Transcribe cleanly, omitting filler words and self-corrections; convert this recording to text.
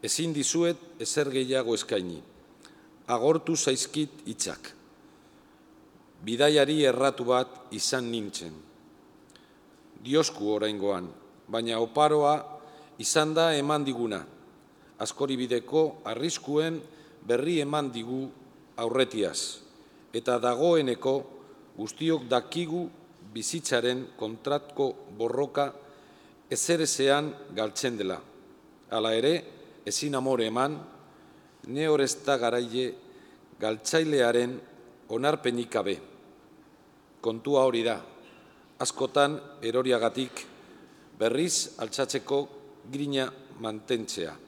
Ezin dizuet ezer gehiago eskaini. Agortu zaizkit hitzak. Bidaiari erratu bat izan nintzen. Diosku oraingoan, baina oparoa izan da eman diguna. Askoribideko arriskuen berri eman digu aurretiaz, eta dagoeneko guztiok dakigu bizitzaren kontratko borroka ezerezean galtzen dela. Hala ere, ezin amore eman, neorezta garaile galtzailearen onarpenik gabe. Kontua hori da, askotan eroriagatik berriz altxatzeko grina mantentzea.